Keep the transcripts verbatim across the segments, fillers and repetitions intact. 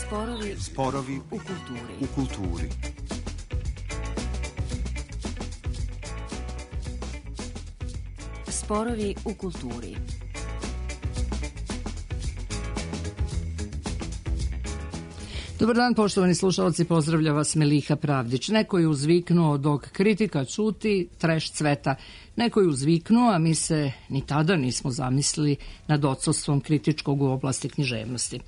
Sporovi, Sporovi u kulturi. U kulturi. Sporovi u kulturi. Dobar dan, poštovani slušalci, pozdravlja vas Meliha Pravdić. Neko je uzviknuo dok kritika čuti, treš cveta. Neko je uzviknuo, a mi se ni tada nismo zamislili nad odsustvom kritičkog u oblasti književnosti.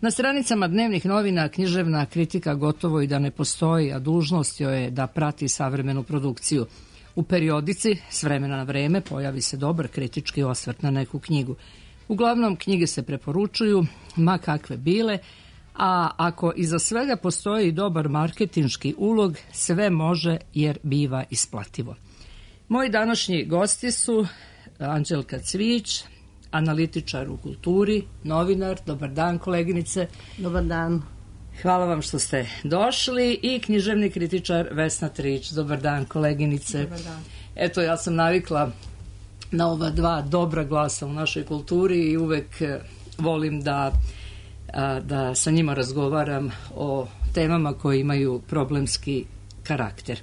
Na stranicama dnevnih novina književna kritika gotovo i da ne postoji, a dužnost joj je da prati savremenu produkciju. U periodici, s vremena na vreme, pojavi se dobar kritički osvrt na neku knjigu. Uglavnom, knjige se preporučuju, ma kakve bile, a ako iza svega postoji dobar marketinški ulog, sve može jer biva isplativo. Moji današnji gosti su Anđelka Cvijić, analitičar u kulturi, novinar. Dobar dan, koleginice. Dobar dan. Hvala vam što ste došli. I književni kritičar Vesna Trić. Dobar dan, koleginice. Dobar dan. Eto, ja sam navikla na ova dva dobra glasa u našoj kulturi i uvek volim da, da sa njima razgovaram o temama koje imaju problemski karakter.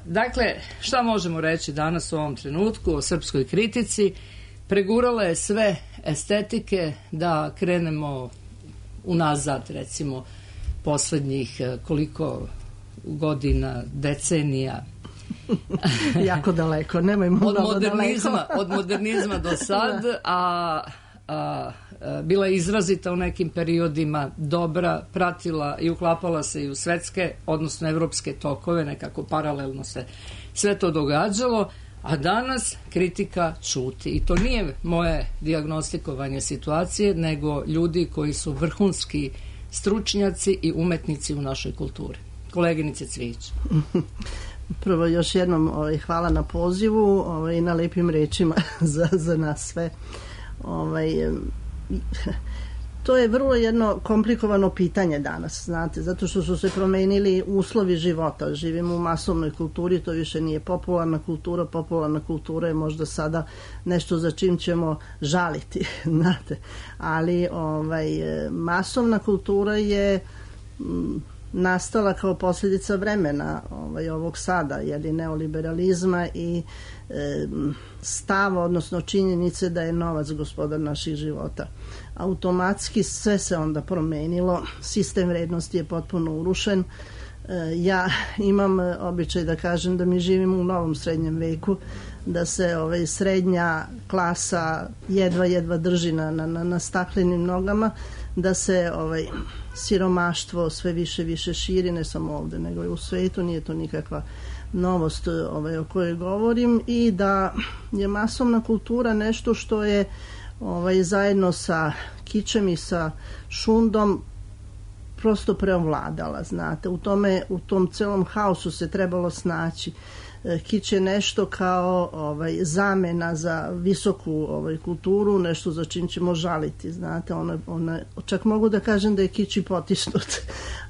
Dakle, šta možemo reći danas u ovom trenutku o srpskoj kritici? Pregurala je sve estetike, da krenemo unazad, recimo, poslednjih koliko godina, decenija. Jako daleko, nemojmo od mnogo modernizma, daleko. Od modernizma do sad, a, a, a bila je izrazita u nekim periodima dobra, pratila i uklapala se i u svetske, odnosno evropske tokove, nekako paralelno se sve to događalo. A danas kritika ćuti. I to nije moje dijagnostikovanje situacije, nego ljudi koji su vrhunski stručnjaci i umetnici u našoj kulturi. Koleginice Cvijić. Prvo, još jednom ovaj, hvala na pozivu ovaj, i na lepim rečima za, za nas sve. Ovaj, to je vrlo jedno komplikovano pitanje danas, znate, zato što su se promenili uslovi života. Živimo u masovnoj kulturi, to više nije popularna kultura. Popularna kultura je možda sada nešto za čim ćemo žaliti, znate. Ali ovaj, masovna kultura je m, nastala kao posljedica vremena ovaj, ovog sada, jeli, neoliberalizma i e, stava, odnosno činjenice da je novac gospodar naših života. Automatski sve se onda promenilo, sistem vrednosti je potpuno urušen. Ja imam običaj da kažem da mi živimo u novom srednjem veku, da se ovaj, srednja klasa jedva jedva drži na, na, na staklenim nogama, da se ovaj, siromaštvo sve više više širi, ne samo ovde nego i u svetu, nije to nikakva novost ovaj, o kojoj govorim, i da je masovna kultura nešto što je ovaj, zajedno sa kičem i sa šundom prosto preovladala, znate. U tome, u tom celom haosu se trebalo snaći. Kič je nešto kao ovaj, zamena za visoku ovaj, kulturu, nešto za čim ćemo žaliti, znate. Ona, ona, čak mogu da kažem da je kič i potisnut,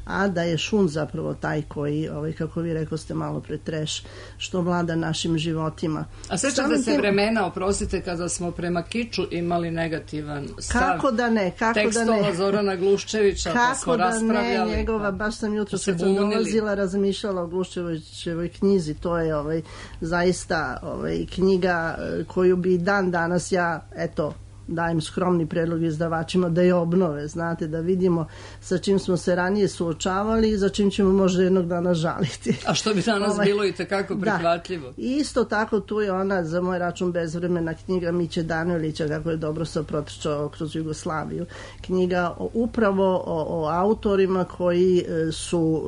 a da je šund zapravo taj koji, ovaj, kako vi rekao ste malo pre, treš, što vlada našim životima. A sećate se vremena, oprostite, kada smo prema kiču imali negativan stav? Kako da ne, kako tekstova da ne. Zorana Gluščevića, pa smo raspravljali. Kako da ne, njegova, baš sam jutro kad sam dolazila, razmišljala o Gluščevićevoj knjizi, to je ovaj, zaista ovaj, knjiga koju bi dan danas ja, eto, dajem skromni predlog izdavačima da je obnove, znate, da vidimo sa čim smo se ranije suočavali i za čim ćemo možda jednog dana žaliti. A što bi danas ovaj, bilo i tekako prihvatljivo. Da. I isto tako tu je ona, za moj račun bezvremena, knjiga Miće Danojlića, kako je dobro se protrčao kroz Jugoslaviju. Knjiga o, upravo o, o autorima koji su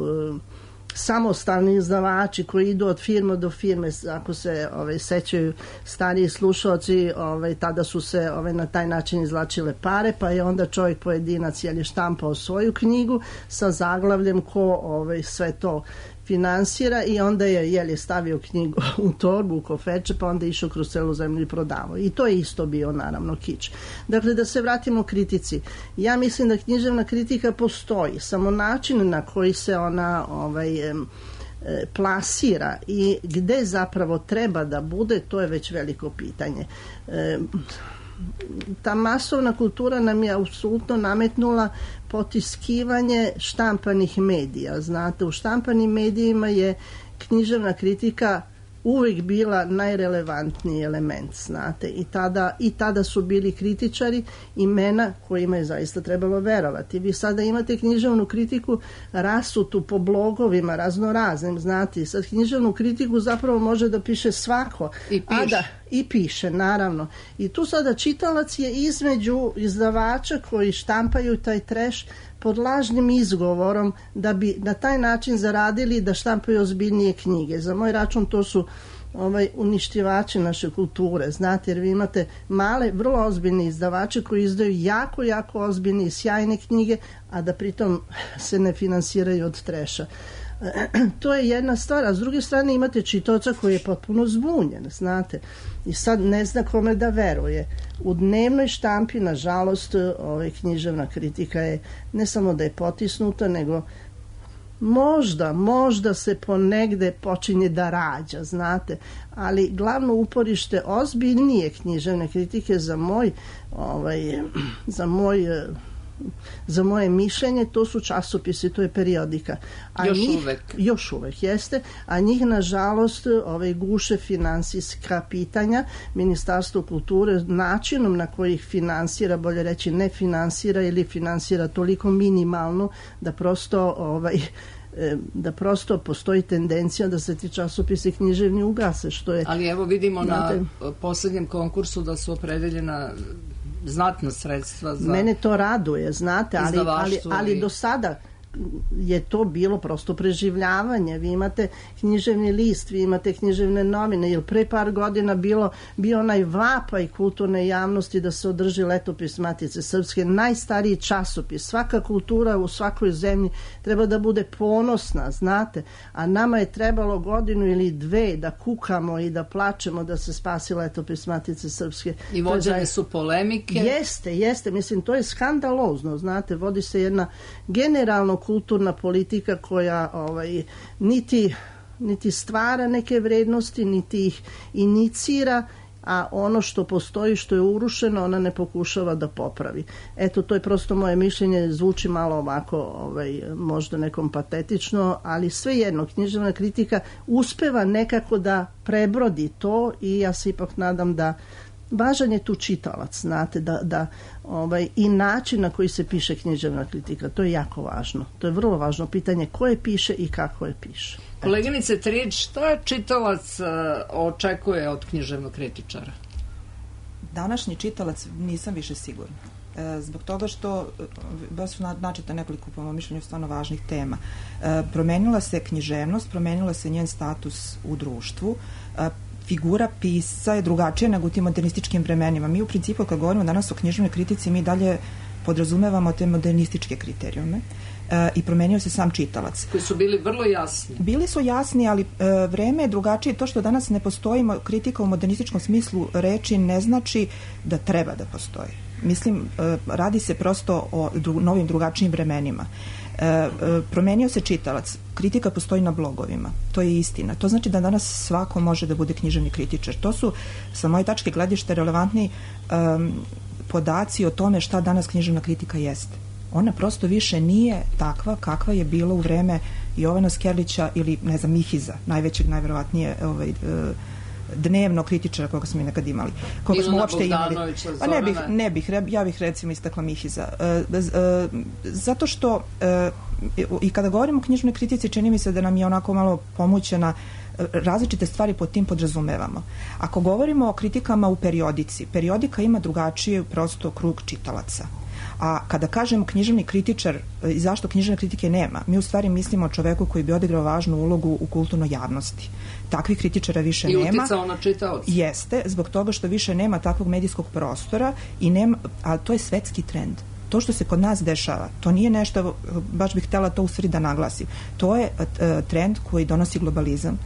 samostalni izdavači, koji idu od firme do firme. Ako se ovaj, sećaju stariji slušalci, ovaj, tada su se ovaj, na taj način izvlačile pare, pa je onda čovjek pojedinac je štampao svoju knjigu sa zaglavljem ko ovaj, sve to finansira, i onda je, je li, stavio knjigu u torbu, u kofeče, pa onda išao kroz celu zemlju i prodavao. I to je isto bio, naravno, kič. Dakle, da se vratimo kritici. Ja mislim da književna kritika postoji, samo način na koji se ona ovaj, plasira i gde zapravo treba da bude, to je već veliko pitanje. ta masovna kultura nam je apsolutno nametnula potiskivanje štampanih medija. Znate, u štampanim medijima je književna kritika uvijek bila najrelevantniji element, znate, i tada, i tada su bili kritičari, imena kojima je zaista trebalo verovati. Vi sada imate književnu kritiku rasutu po blogovima raznoraznim, znate, sad književnu kritiku zapravo može da piše svako. I piše. A da, i piše, naravno. I tu sada čitalac je između izdavača koji štampaju taj treš pod lažnim izgovorom da bi na taj način zaradili da štampaju ozbiljnije knjige. Za moj račun to su ovaj, uništivači naše kulture, znate, jer vi imate male, vrlo ozbiljne izdavače koji izdaju jako, jako ozbiljne i sjajne knjige, a da pritom se ne finansiraju od treša. To je jedna stvar, a s druge strane imate čitaoca koji je potpuno zbunjen, znate, i sad ne zna kome da veruje. U dnevnoj štampi, nažalost, ovaj, književna kritika je ne samo da je potisnuta, nego možda, možda se ponegde počinje da rađa, znate, ali glavno uporište ozbiljnije književne kritike za moj, ovaj, za moj za moje mišljenje, to su časopisi, to je periodika. A još njih, uvek. Još uvek, jeste. A njih, nažalost, ovaj, guše finansijska pitanja. Ministarstvo kulture načinom na koji ih finansira, bolje reći ne finansira ili finansira toliko minimalno da prosto ovaj, da prosto postoji tendencija da se ti časopisi književni ugase, što je... Ali evo vidimo znate, na posljednjem konkursu da su opredeljena znatna sredstva za... Mene to raduje, znate, ali, ali, ali do sada je to bilo prosto preživljavanje. Vi imate književni list, vi imate književne novine, jer pre par godina bilo, bio onaj vapaj kulturne javnosti da se održi letopis Matice Srpske, najstariji časopis. Svaka kultura u svakoj zemlji treba da bude ponosna, znate, a nama je trebalo godinu ili dve da kukamo i da plačemo da se spasi letopis Matice Srpske. I vođene su polemike. Jeste, jeste, mislim, to je skandalozno, znate, vodi se jedna generalno kulturna politika koja ovaj, niti, niti stvara neke vrednosti, niti ih inicira, a ono što postoji, što je urušeno, ona ne pokušava da popravi. Eto, to je prosto moje mišljenje, zvuči malo ovako, ovaj, možda nekom patetično, ali svejedno, književna kritika uspeva nekako da prebrodi to i ja se ipak nadam da važan je tu čitalac, znate, da, da ovaj, i način na koji se piše književna kritika, to je jako važno. To je vrlo važno pitanje ko je piše i kako je piše. Koleginice Trić, šta čitalac uh, očekuje od književnog kritičara? Današnji čitalac nisam više sigurna. E, zbog toga što baš su načeta nekoliko, po mojom mišljenju, stvarno važnih tema. E, promenila se književnost, promenila se njen status u društvu, e, figura pisca je drugačija nego u tim modernističkim vremenima. Mi u principu, kad govorimo danas o književnoj kritici, mi dalje podrazumevamo te modernističke kriterijume e, i promenio se sam čitalac. Koji su bili vrlo jasni. Bili su jasni, ali e, vreme je drugačije. To što danas ne postoji kritika u modernističkom smislu reči ne znači da treba da postoji. Mislim, e, radi se prosto o dru, novim drugačijim vremenima. E, e, promenio se čitalac. Kritika postoji na blogovima. To je istina. To znači da danas svako može da bude književni kritičar. To su, sa moje tačke gledišta, relevantni um, podaci o tome šta danas književna kritika jeste. Ona prosto više nije takva kakva je bila u vreme Jovana Skerlića ili, ne znam, Mihiza, najvećeg, najverovatnije ovaj, uh, dnevno kritičara koga smo i nekad imali. Koga Ilona smo uopšte imali. Pa ne bih, ne bih, ja bih recimo istakla Mihiza. E, e, zato što e, i kada govorimo o knjižnoj kritici, čini mi se da nam je onako malo pomućena, različite stvari pod tim podrazumevamo. Ako govorimo o kritikama u periodici, periodika ima drugačiji prosto krug čitalaca. A kada kažemo književni kritičar i zašto književne kritike nema, mi u stvari mislimo o čoveku koji bi odigrao važnu ulogu u kulturnoj javnosti. Takvih kritičara više I nema. I uticao na čitaoca. Jeste, zbog toga što više nema takvog medijskog prostora, i nema, a to je svetski trend. To što se kod nas dešava, to nije nešto, baš bih htjela to u stvari da naglasim. To je uh, trend koji donosi globalizam.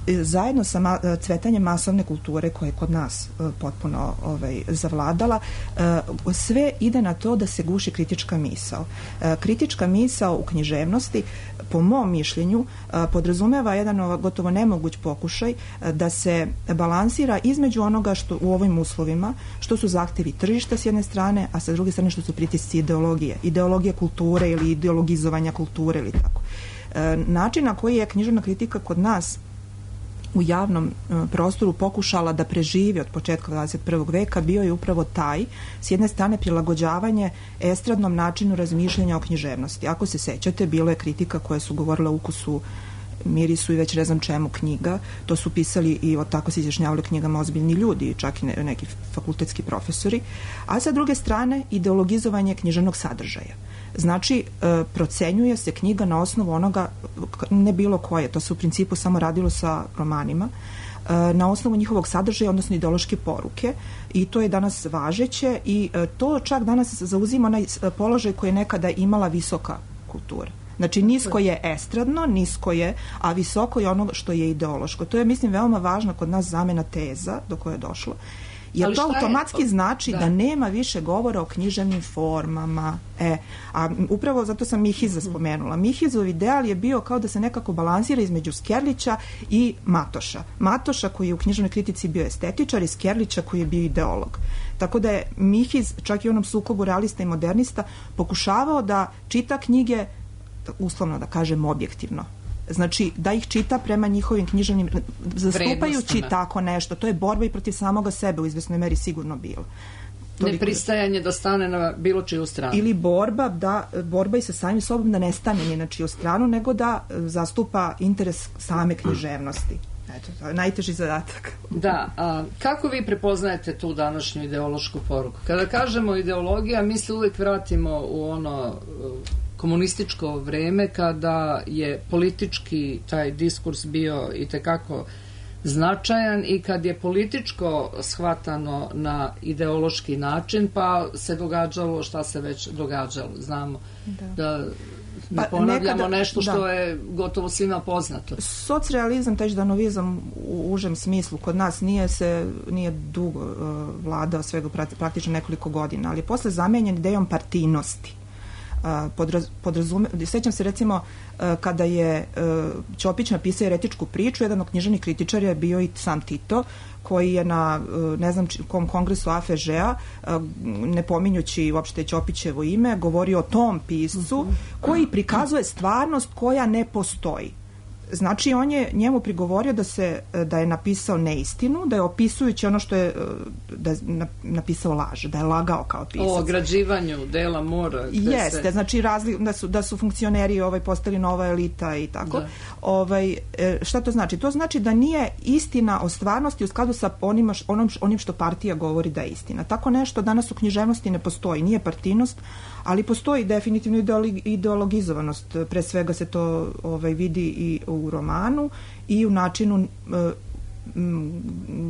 Zajedno sa ma, cvetanjem masovne kulture koja je kod nas potpuno ovaj, zavladala, sve ide na to da se guši kritička misao. Kritička misao u književnosti, po mom mišljenju, podrazumeva jedan gotovo nemoguć pokušaj da se balansira između onoga što u ovim uslovima, što su zahtevi tržišta s jedne strane, a sa druge strane što su pritisci ideologije. Ideologije kulture ili ideologizovanja kulture ili tako. Način na koji je književna kritika kod nas u javnom prostoru pokušala da preživi od početka dvadeset prvog veka bio je upravo taj, s jedne strane prilagođavanje estradnom načinu razmišljanja o književnosti. Ako se sećate, bilo je kritika koja su govorila o ukusu, mirisu i već ne znam čemu knjiga. To su pisali i od tako se izjašnjavali knjigama ozbiljni ljudi, čak i neki fakultetski profesori. A sa druge strane, ideologizovanje književnog sadržaja. Znači, procenjuje se knjiga na osnovu onoga, ne bilo koje, to se u principu samo radilo sa romanima, na osnovu njihovog sadržaja, odnosno ideološke poruke, i to je danas važeće i to čak danas zauzima onaj položaj koji je nekada imala visoka kultura. Znači, nisko je estradno, nisko je, a visoko je ono što je ideološko. To je, mislim, veoma važno kod nas zamena teza do koje je došlo. Jer to automatski je? znači da. da nema više govora o književnim formama. E, a upravo zato sam Mihiza spomenula. Mihizov ideal je bio kao da se nekako balansira između Skerlića i Matoša. Matoša koji je u književnoj kritici bio estetičar i Skerlića koji je bio ideolog. Tako da je Mihiz, čak i u onom sukobu realista i modernista, pokušavao da čita knjige, uslovno da kažem objektivno. Znači, da ih čita prema njihovim književnim, zastupajući tako nešto. To je borba i protiv samoga sebe u izvesnoj meri sigurno bilo. Nepristajanje da stane na bilo čiju stranu. Ili borba, da, borba i sa samim sobom da ne stane ni na čiju stranu, nego da zastupa interes same književnosti. Eto, to je najteži zadatak. Da, a kako vi prepoznajete tu današnju ideološku poruku? Kada kažemo ideologija, mi se uvijek vratimo u ono komunističko vreme kada je politički taj diskurs bio itekako značajan i kad je političko shvatano na ideološki način, pa se događalo šta se već događalo. Znamo da, da ne pa ponavljamo nekada, nešto što da. je gotovo svima poznato. Socrealizam, taj ždanovizam u užem smislu kod nas nije se nije dugo uh, vladao, svega praktično nekoliko godina, ali je posle zamenjen idejom partijnosti. Podraz, podrazume, sećam se recimo kada je Ćopić napisao eretičku priču, jedan od književnih kritičara je bio i sam Tito, koji je na ne znam kom kongresu A F Ž-a, ne pominjući uopšte Ćopićevo ime, govorio o tom piscu koji prikazuje stvarnost koja ne postoji. Znači, on je njemu prigovorio da se da je napisao neistinu, da je opisujući ono što je da je napisao laž, da je lagao kao pisac. O ograđivanju dela mora. Jeste, se... znači razli, da su da su funkcioneri ovaj postali nova elita i tako. Da. Ovaj šta to znači? To znači da nije istina o stvarnosti u skladu sa onim onom onim što partija govori da je istina. Tako nešto danas u književnosti ne postoji, nije partijnost, ali postoji definitivno ideologizovanost. Pre svega se to ovaj vidi i u romanu i u načinu e,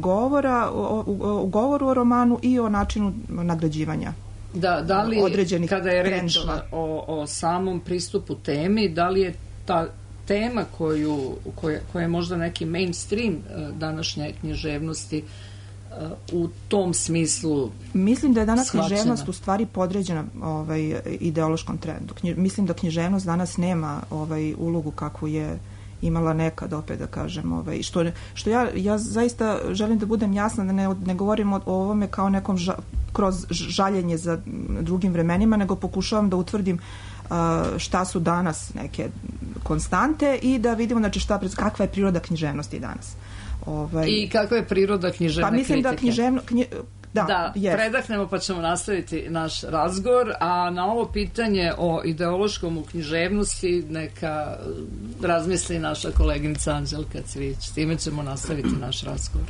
govora, o, o, u govoru o romanu i o načinu nagrađivanja. Da, da li, određenih kada je reč o, o samom pristupu temi, da li je ta tema koju, koja, koja je možda neki mainstream današnje književnosti u tom smislu mislim da je danas shvaćena. Književnost u stvari podređena ovaj, ideološkom trendu. Knji, mislim da književnost danas nema ovaj, ulogu kakvu je imala nekad, opet da kažem, ovaj, što, što ja, ja zaista želim da budem jasna, da ne, ne govorim o, o ovome kao nekom ža, kroz žaljenje za drugim vremenima, nego pokušavam da utvrdim uh, šta su danas neke konstante i da vidimo znači, šta, kakva je priroda književnosti danas. Ovaj, I kakva je priroda književne pa mislim kritike? Da književno, knji, da, da yes. predahnemo pa ćemo nastaviti naš razgovor, a na ovo pitanje o ideološkom u književnosti neka razmisli naša koleginica Anđelka Cvić. S time ćemo nastaviti naš razgovor.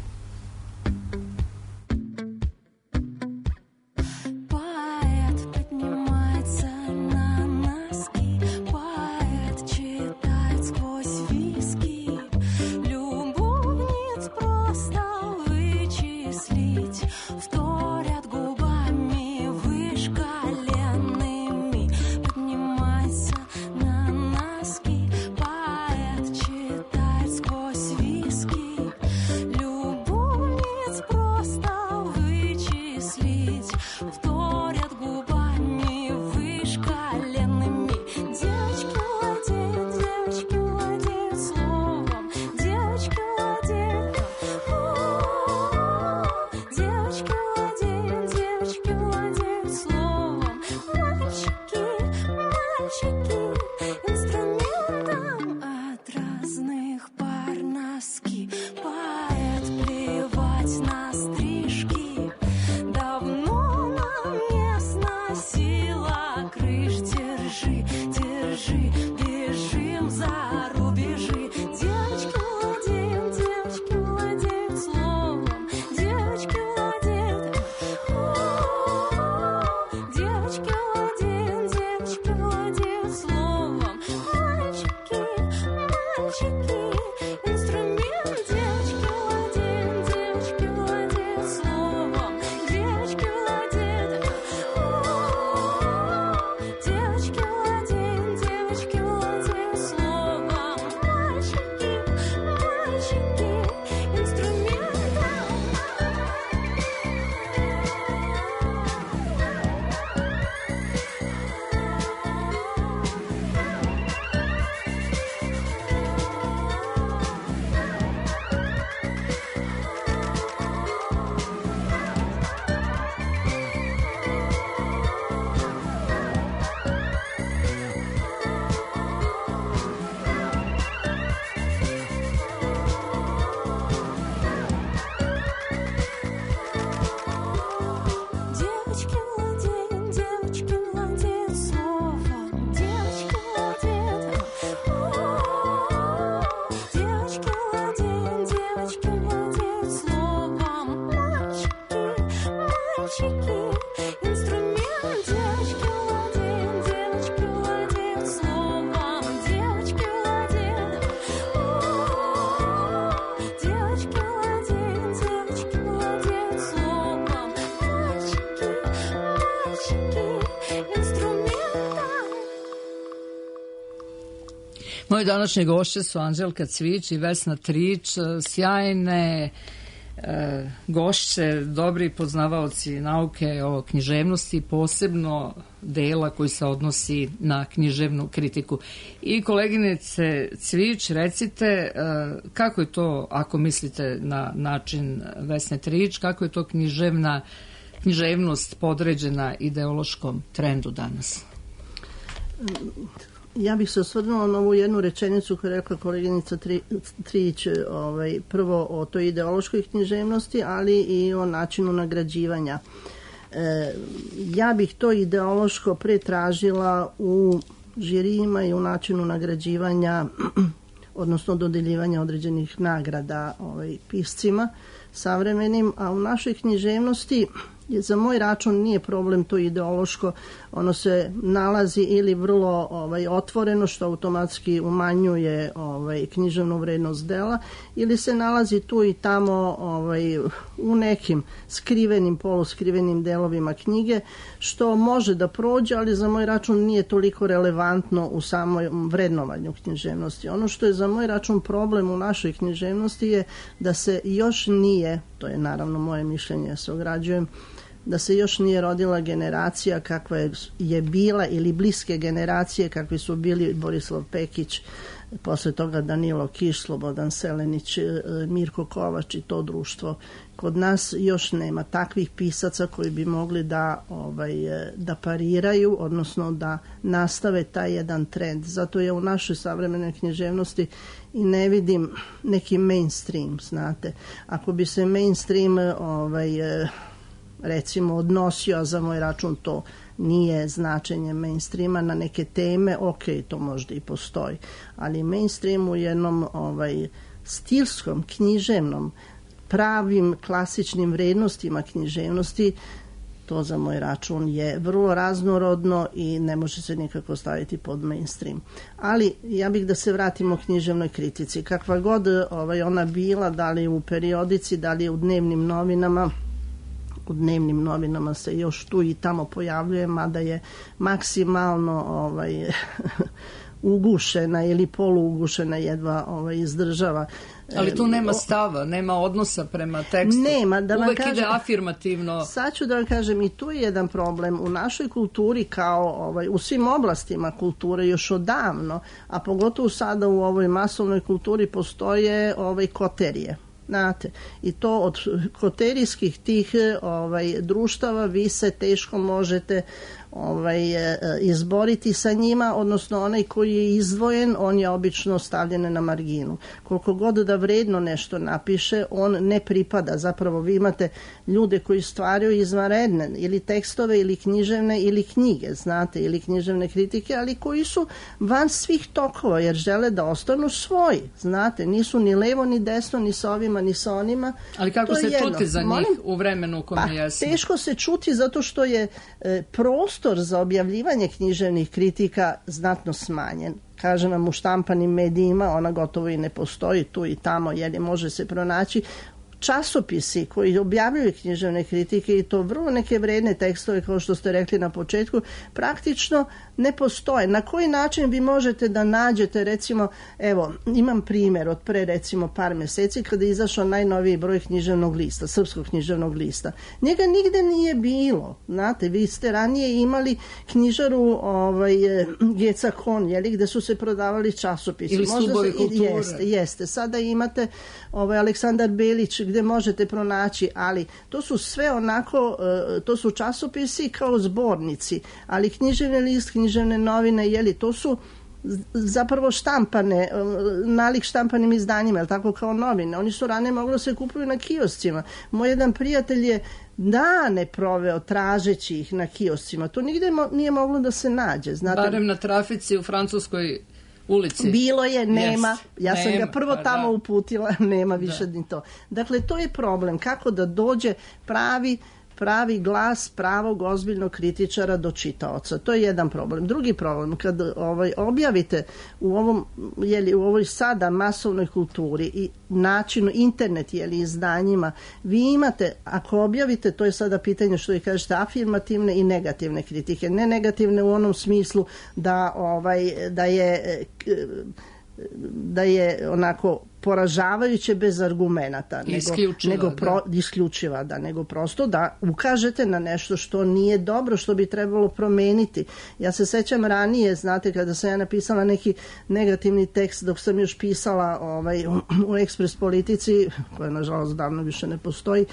Сквозь вторят губами вышкаленными. Девочки владеют, девочки владеют словом, девочки владеют. Девочки владеют, девочки владеют словом. Мальчики, мальчики, инструментом от разных пар носки. Поэт плевать на стрижки. Давно нам не сносила крыш. Держи, держи, бежим за рубежи. Девочки владеют, девочки владеют словом, девочки владеют. Девочки владеют, девочки владеют словом. Мальчики, мальчики, инструмент. Девочки владеют, девочки владеют словом, девочки владеют. Девочки владеют, девочки владеют словом. Мальчики, мальчики, инструментом. Девочки владеют, девочки владеют словом, девочки владеют. Девочки владеют, девочки владеют словом. Мальчики, мальчики, инструмент. Девочки владеют, девочки владеют словом, девочки владеют. Девочки владеют, девочки владеют словом. Мальчики, мальчики, инструментом. Moje današnje gošće su Anđelka Cvijić i Vesna Trić, sjajne e, gošće, dobri poznavaoci nauke o književnosti, posebno dela koji se odnosi na književnu kritiku. I koleginice Cvijić, recite e, kako je to, ako mislite na način Vesne Trić, kako je to književna, književnost podređena ideološkom trendu danas? Ja bih se osvrnula na ovu jednu rečenicu koju je rekla koleginica Tri, Trić, ovaj, prvo o toj ideološkoj književnosti, ali i o načinu nagrađivanja. E, ja bih to ideološko pretražila u žirijima i u načinu nagrađivanja, odnosno dodeljivanja određenih nagrada ovaj, piscima savremenim, a u našoj književnosti za moj račun nije problem to ideološko, ono se nalazi ili vrlo ovaj, otvoreno, što automatski umanjuje ovaj, književnu vrednost dela, ili se nalazi tu i tamo ovaj, u nekim skrivenim, poluskrivenim delovima knjige, što može da prođe, ali za moj račun nije toliko relevantno u samom vrednovanju književnosti. Ono što je za moj račun problem u našoj književnosti je da se još nije, to je naravno moje mišljenje, ja se ograđujem, da se još nije rodila generacija kakva je, je bila ili bliske generacije kakvi su bili Borislav Pekić, posle toga Danilo Kiš, Slobodan Selenić, Mirko Kovač i to društvo. Kod nas još nema takvih pisaca koji bi mogli da, ovaj, da pariraju, odnosno da nastave taj jedan trend. Zato ja u našoj savremenoj književnosti i ne vidim neki mainstream, znate. Ako bi se mainstream ovaj, recimo odnosio, a za moj račun to nije značenje mainstreama, na neke teme, ok, to možda i postoji, ali mainstream u jednom ovaj, stilskom, književnom, pravim klasičnim vrednostima književnosti, to za moj račun je vrlo raznorodno i ne može se nikako staviti pod mainstream. Ali ja bih da se vratimo književnoj kritici. Kakva god ovaj, ona bila, da li u periodici, da li u dnevnim novinama, u dnevnim novinama se još tu i tamo pojavljuje, mada je maksimalno ovaj, ugušena ili poluugušena, jedva ovaj, izdržava. Ali tu nema stava, nema odnosa prema tekstu. Nema, da vam Uvek kažem, ide afirmativno. Sad ću da vam kažem, i tu je jedan problem. U našoj kulturi, kao ovaj, u svim oblastima kulture još odavno, a pogotovo sada u ovoj masovnoj kulturi postoje ovaj, koterije. Znate, i to od koterijskih tih ovaj, društava vi se teško možete ovaj, izboriti sa njima, odnosno onaj koji je izdvojen, on je obično stavljen na marginu. Koliko god da vredno nešto napiše, on ne pripada. Zapravo vi imate ljude koji stvaraju izvanredne ili tekstove ili književne ili knjige, znate, ili književne kritike, ali koji su van svih tokova, jer žele da ostanu svoji, znate, nisu ni levo ni desno, ni sa ovima ni sa onima. Ali kako se čuti za njih Molim? u vremenu u kome pa, jesmo? Teško se čuti zato što je e, prostor za objavljivanje književnih kritika znatno smanjen. Kažem vam, u štampanim medijima ona gotovo i ne postoji, tu i tamo, jer može se pronaći. Časopisi koji objavljuju književne kritike i to vrlo neke vredne tekstove, kao što ste rekli na početku, praktično ne postoje. Na koji način vi možete da nađete, recimo, evo, imam primjer od pre recimo par meseci kada je izašao najnoviji broj književnog lista, srpskog književnog lista. Njega nigde nije bilo. Znate, vi ste ranije imali knjižaru ovaj, Geca Kon, jeli, gde su se prodavali časopisi. Ili stubovi kulture. Jeste, jeste. Sada imate ovaj, Aleksandar Belić, gde možete pronaći, ali to su sve onako, to su časopisi kao zbornici, ali književni list, književne novine, jeli, to su zapravo štampane, nalik štampanim izdanjima, ali tako kao novine. Oni su ranije mogli da se kupuju na kioscima. Moj jedan prijatelj je dane proveo tražeći ih na kioscima. To nigde mo- nije moglo da se nađe. Znate, barem na trafici u Francuskoj ulici. Bilo je, nema. Yes, ja sam nema, ga prvo pa tamo da. uputila, nema više Da. ni to. Dakle, to je problem. Kako da dođe pravi pravi glas pravog ozbiljnog kritičara do čitaoca. To je jedan problem. Drugi problem, kad ovaj, objavite u ovom, jeli, u ovoj sada masovnoj kulturi i načinu internet, jeli, izdanjima, vi imate, ako objavite, to je sada pitanje što vi kažete, afirmativne i negativne kritike. Ne negativne u onom smislu da, ovaj, da je da je onako poražavajuće bez argumenata, nego, isključiva, nego pro, da. isključiva, da, nego prosto da ukažete na nešto što nije dobro, što bi trebalo promeniti. Ja se sećam ranije, znate, kada sam ja napisala neki negativni tekst dok sam još pisala ovaj, u, u Ekspres Politici, koja nažalost davno više ne postoji,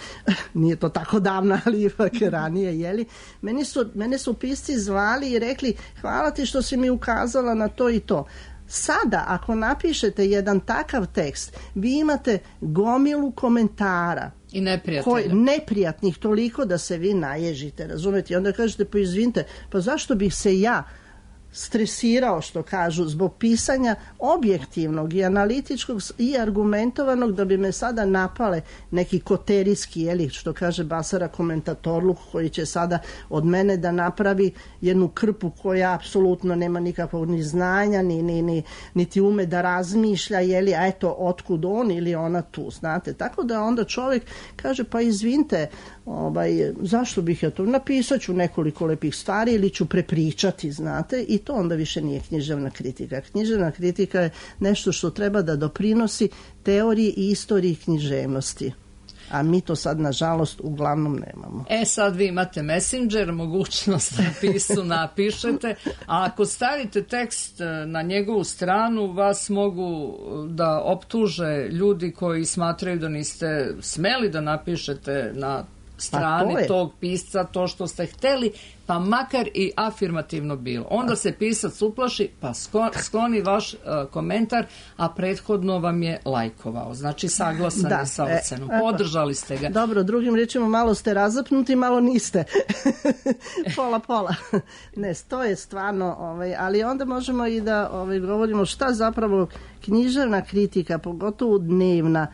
nije to tako davno, ali ipak ranije, jeli, meni su, mene su pisci zvali i rekli, hvala ti što si mi ukazala na to i to. Sada, ako napišete jedan takav tekst, vi imate gomilu komentara i neprijatelja. Koji, neprijatnih toliko da se vi naježite, razumete? I onda kažete, pa izvinite, pa zašto bih se ja stresirao, što kažu, zbog pisanja objektivnog i analitičkog i argumentovanog, da bi me sada napale neki koterijski, jeli, što kaže Basara komentatorluk, koji će sada od mene da napravi jednu krpu koja apsolutno nema nikakvog ni znanja, ni, ni, ni, niti ume da razmišlja, jeli, a eto, otkud on ili ona tu, znate. Tako da onda čovjek kaže, pa izvinite, ovaj, zašto bih ja to, napisat ću nekoliko lepih stvari ili ću prepričati, znate, i to onda više nije književna kritika. Književna kritika je nešto što treba da doprinosi teoriji i istoriji književnosti. A mi to sad, nažalost, uglavnom nemamo. E, sad vi imate Messenger, mogućnost da pisu napišete, a ako stavite tekst na njegovu stranu, vas mogu da optuže ljudi koji smatraju da niste smeli da napišete na strani to tog pisca to što ste hteli, pa makar i afirmativno bilo. Onda se pisac uplaši, pa skloni vaš uh, komentar, a prethodno vam je lajkovao. Znači, saglasan da, je sa ocenom. E, podržali ste ga. Dobro, drugim rečima, malo ste razapnuti, malo niste. pola, pola. Ne, to je stvarno, ovaj, ali onda možemo i da ovaj, govorimo šta zapravo književna kritika, pogotovo dnevna,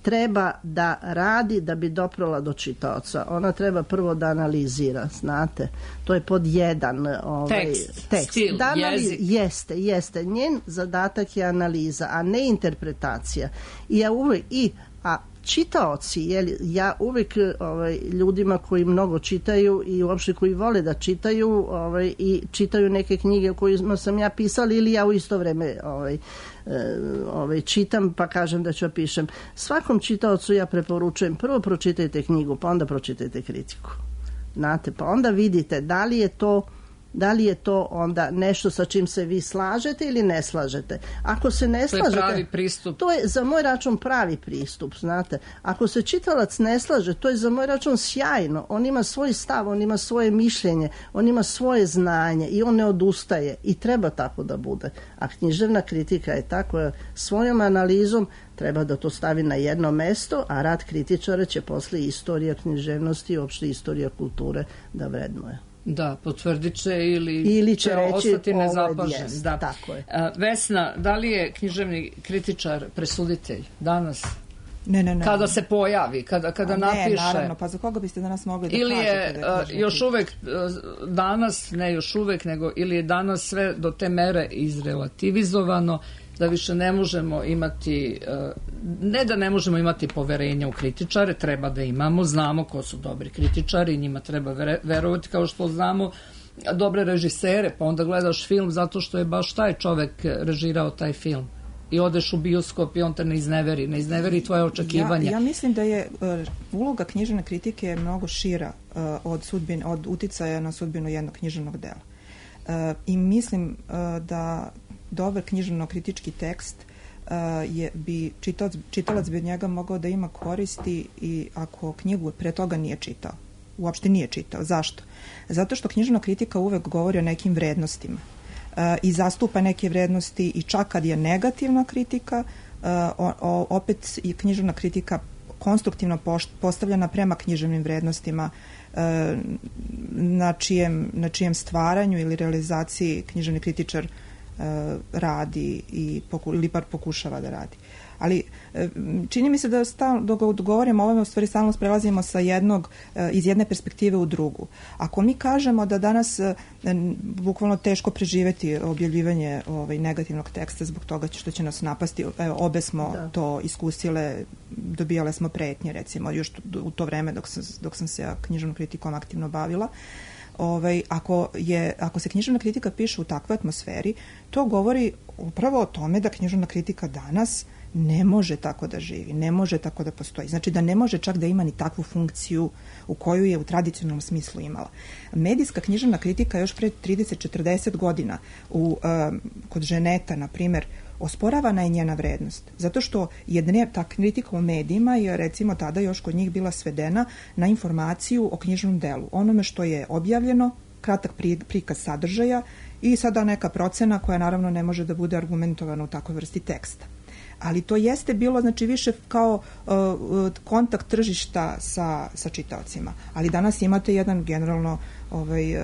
treba da radi da bi doprala do čitaoca. Ona treba prvo da analizira, znate. To je pod jedan ovaj, tekst, tekst. stil, da analiz... jezik. Jeste, jeste. Njen zadatak je analiza, a ne interpretacija. I, ja uvek, i a čitaoci, jeli, ja uvek ovaj, ljudima koji mnogo čitaju i uopšte koji vole da čitaju ovaj, i čitaju neke knjige o kojima sam ja pisala ili ja u isto vreme ovaj, ovaj, čitam pa kažem da ću pišem. Svakom čitaocu ja preporučujem prvo pročitajte knjigu pa onda pročitajte kritiku. Znate, pa onda vidite da li je to da li je to onda nešto sa čim se vi slažete ili ne slažete. Ako se ne slažete... To je pravi pristup. To je za moj račun pravi pristup, znate. Ako se čitalac ne slaže, to je za moj račun sjajno. On ima svoj stav, on ima svoje mišljenje, on ima svoje znanje i on ne odustaje. I treba tako da bude. A književna kritika je tako, svojom analizom treba da to stavi na jedno mesto, a rad kritičara će posle istorija književnosti i uopšte istorija kulture da vrednuje. Da, potvrdit će ili, ili će reći, ostati nezapažen. Jest, da. Tako je. A, Vesna, da li je književni kritičar presuditelj danas? Ne, ne, ne. Kada se pojavi, kada, kada A ne, napiše... naravno, pa za koga biste danas mogli da ili kažete je, da je književni još kritičar? uvek danas, ne još uvek, nego ili je danas sve do te mere izrelativizovano da više ne možemo imati, ne da ne možemo imati poverenja u kritičare, treba da imamo, znamo ko su dobri kritičari, njima treba verovati kao što znamo dobre režisere, pa onda gledaš film zato što je baš taj čovek režirao taj film i odeš u bioskop i on te ne izneveri, ne izneveri tvoje očekivanja. Ja, ja mislim da je uh, uloga književne kritike je mnogo šira uh, od, sudbin, od uticaja na sudbinu jednog književnog dela. Uh, I mislim uh, da dobar književno-kritički tekst uh, je, bi čitalac, čitalac bi od njega mogao da ima koristi i ako knjigu pre toga nije čitao. Uopšte nije čitao. Zašto? Zato što književna kritika uvek govori o nekim vrednostima uh, i zastupa neke vrednosti i čak kad je negativna kritika, uh, o, o, opet je književna kritika konstruktivno pošt, postavljena prema književnim vrednostima uh, na, čijem, na čijem stvaranju ili realizaciji književni kritičar radi i poku, ili par pokušava da radi. Ali čini mi se da stalno, dok govorimo o ovome, u stvari stalno prelazimo sa jednog, iz jedne perspektive u drugu. Ako mi kažemo da danas bukvalno teško preživeti objavljivanje ovaj, negativnog teksta zbog toga što će nas napasti, evo, obe smo da. to iskusile, dobijale smo pretnje, recimo, još u to vreme dok sam, dok sam se ja književnom kritikom aktivno bavila. Ovaj, ako, je, ako se književna kritika piše u takvoj atmosferi, to govori upravo o tome da književna kritika danas ne može tako da živi, ne može tako da postoji. Znači da ne može čak da ima ni takvu funkciju u koju je u tradicionalnom smislu imala. Medijska književna kritika još pre trideset četrdeset godina u, um, kod Ženeta, na primer, osporavana je njena vrednost. Zato što je dne, ta kritika u medijima je recimo tada još kod njih bila svedena na informaciju o knjižnom delu. Onome što je objavljeno, kratak prikaz sadržaja i sada neka procena koja naravno ne može da bude argumentovana u takvoj vrsti teksta. Ali to jeste bilo, znači, više kao uh, kontakt tržišta sa, sa čitaocima. Ali danas imate jedan generalno ovaj, uh,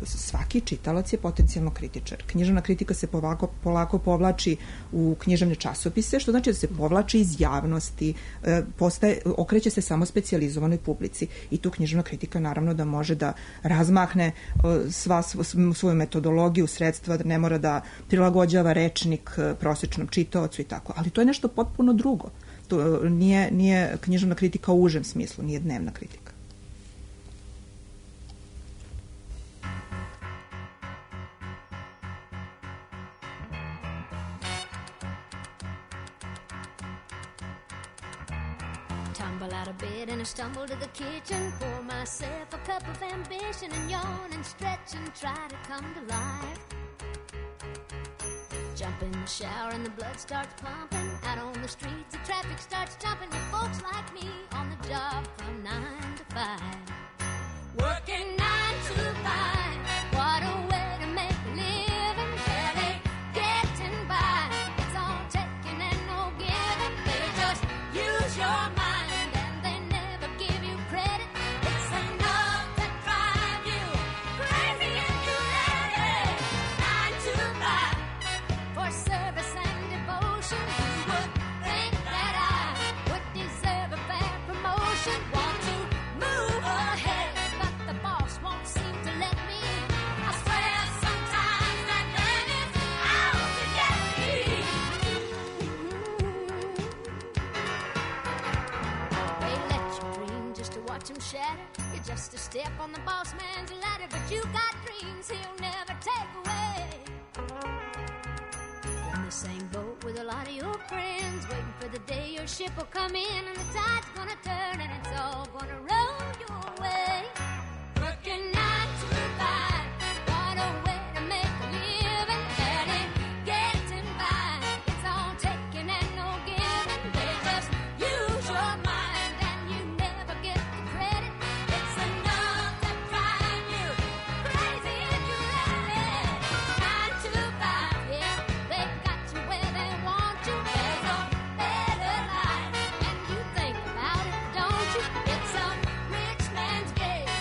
svaki čitalac je potencijalno kritičar. Književna kritika se polako, polako povlači u književne časopise, što znači da se povlači iz javnosti, uh, postaje, okreće se samo specijalizovanoj publici. I tu književna kritika naravno da može da razmahne uh, sva svoju metodologiju, sredstva, da ne mora da prilagođava rečnik uh, prosječnom čitaocu i tako. Ali to je nešto potpuno drugo. To nije, nije književna kritika u užem smislu, nije dnevna kritika. Tumble out of bed and I stumble to the kitchen, pour myself a cup of ambition and yawn and stretch and try to come to life. Jump in the shower and the blood starts pumping. Out on the streets the traffic starts jumping with folks like me on the job from nine to five. Working nine to five, what a way to make a living. Barely getting by, it's all taking and no giving. They just use your mind and they never give you credit. It's enough to drive you crazy if you let it. Nine to five. For service and devotion, you would think that I would deserve a fair promotion. Want to move ahead, but the boss just a step on the boss man's ladder, but you got dreams he'll never take away. You're in the same boat with a lot of your friends, waiting for the day your ship will come in and the tide's gonna turn and it's all gonna roll your way. Working nine to five, what a way to make a living, barely getting by. It's all taking and no giving. They just use your mind and you never get the credit. It's enough to drive you crazy if you let it. Nine to five, yeah, they got you where they want you. There's a better life, and you think about it, don't you? It's a rich man's game,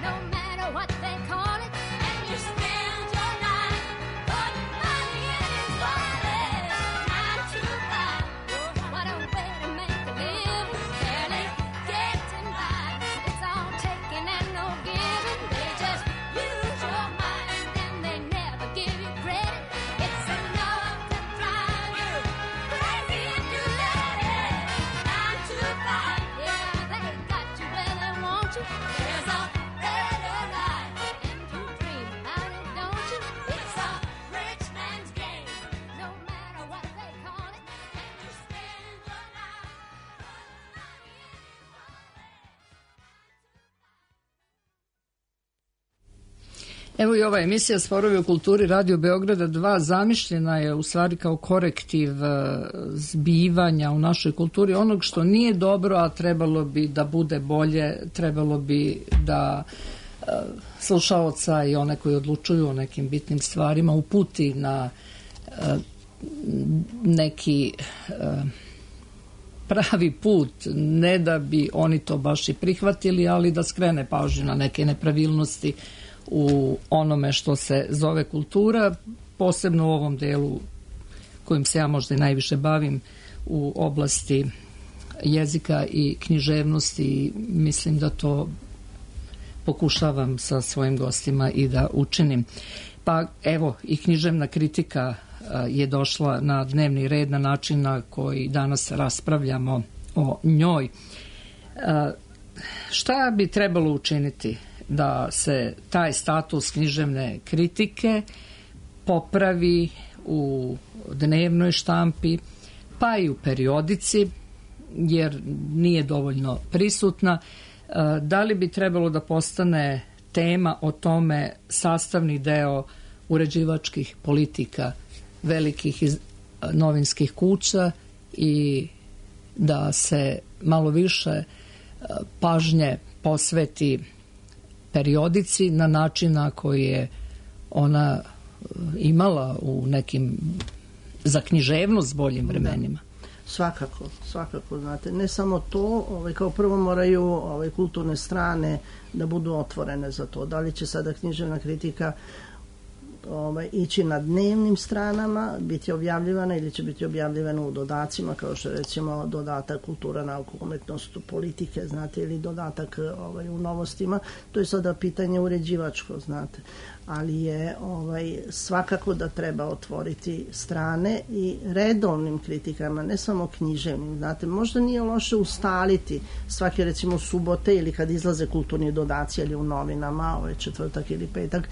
no matter what they call it. And you spend your life putting money in his wallet. Nine to five, what a way to make a living, barely getting by. It's all taking and no giving. They just use your mind and they never give you credit. It's enough to drive you crazy if you let it. Nine to five, yeah, they got you where they want you. There's a better life, and you dream about it, don't you? It's a rich man's game, no matter what they call it. And you spend your life putting money in his wallet. Evo i ova emisija Sporovi u kulturi Radio Beograda dva zamišljena je u stvari kao korektiv e, zbivanja u našoj kulturi, onog što nije dobro, a trebalo bi da bude bolje, trebalo bi da e, slušaoca i one koji odlučuju o nekim bitnim stvarima uputi na e, neki e, pravi put, ne da bi oni to baš i prihvatili, ali da skrene pažnju na neke nepravilnosti u onome što se zove kultura, posebno u ovom delu kojim se ja možda i najviše bavim, u oblasti jezika i književnosti. Mislim da to pokušavam sa svojim gostima i da učinim. Pa evo, i književna kritika je došla na dnevni red na način na koji danas raspravljamo o njoj. Šta bi trebalo učiniti da se taj status književne kritike popravi u dnevnoj štampi, pa i u periodici, jer nije dovoljno prisutna? Da li bi trebalo da postane tema o tome sastavni deo uređivačkih politika velikih novinskih kuća i da se malo više pažnje posveti periodici na način na koji je ona imala u nekim za književnost boljim vremenima? Svakako, svakako, znate, ne samo to, ovaj, kao prvo moraju ovaj, kulturne strane da budu otvorene za to. Da li će sada književna kritika ovaj, ići na dnevnim stranama, biti objavljivana ili će biti objavljivana u dodacima, kao što je recimo dodatak kultura, nauka, umetnost, politike, znate, ili dodatak ovaj, u novostima. To je sada pitanje uređivačko, znate. Ali je ovaj, svakako da treba otvoriti strane i redovnim kritikama, ne samo književnim, znate, možda nije loše ustaliti svake recimo subote ili kad izlaze kulturni dodaci ili u novinama, ovaj četvrtak ili petak,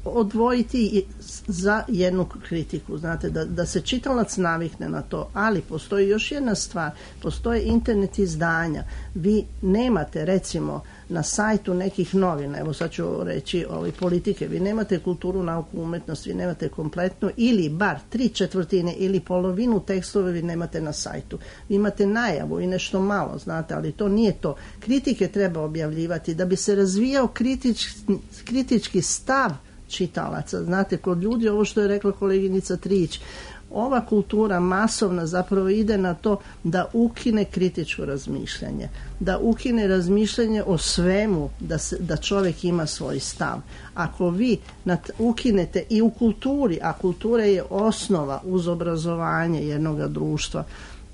odvojiti za jednu kritiku, znate, da, da se čitalac navikne na to, ali postoji još jedna stvar, postoje internet izdanja, vi nemate recimo na sajtu nekih novina, evo sad ću reći ovaj, politike, vi nemate kulturu, nauku, umetnost, vi nemate kompletno ili bar tri četvrtine ili polovinu tekstove vi nemate na sajtu. Vi imate najavu i nešto malo, znate, ali to nije to. Kritike treba objavljivati da bi se razvijao kritički, kritički stav čitalaca. Znate, kod ljudi, ovo što je rekla koleginica Trić, ova kultura masovna zapravo ide na to da ukine kritičko razmišljanje, da ukine razmišljanje o svemu, da, se, da čovjek ima svoj stav. Ako vi nad, ukinete i u kulturi, a kultura je osnova uz obrazovanje jednog društva,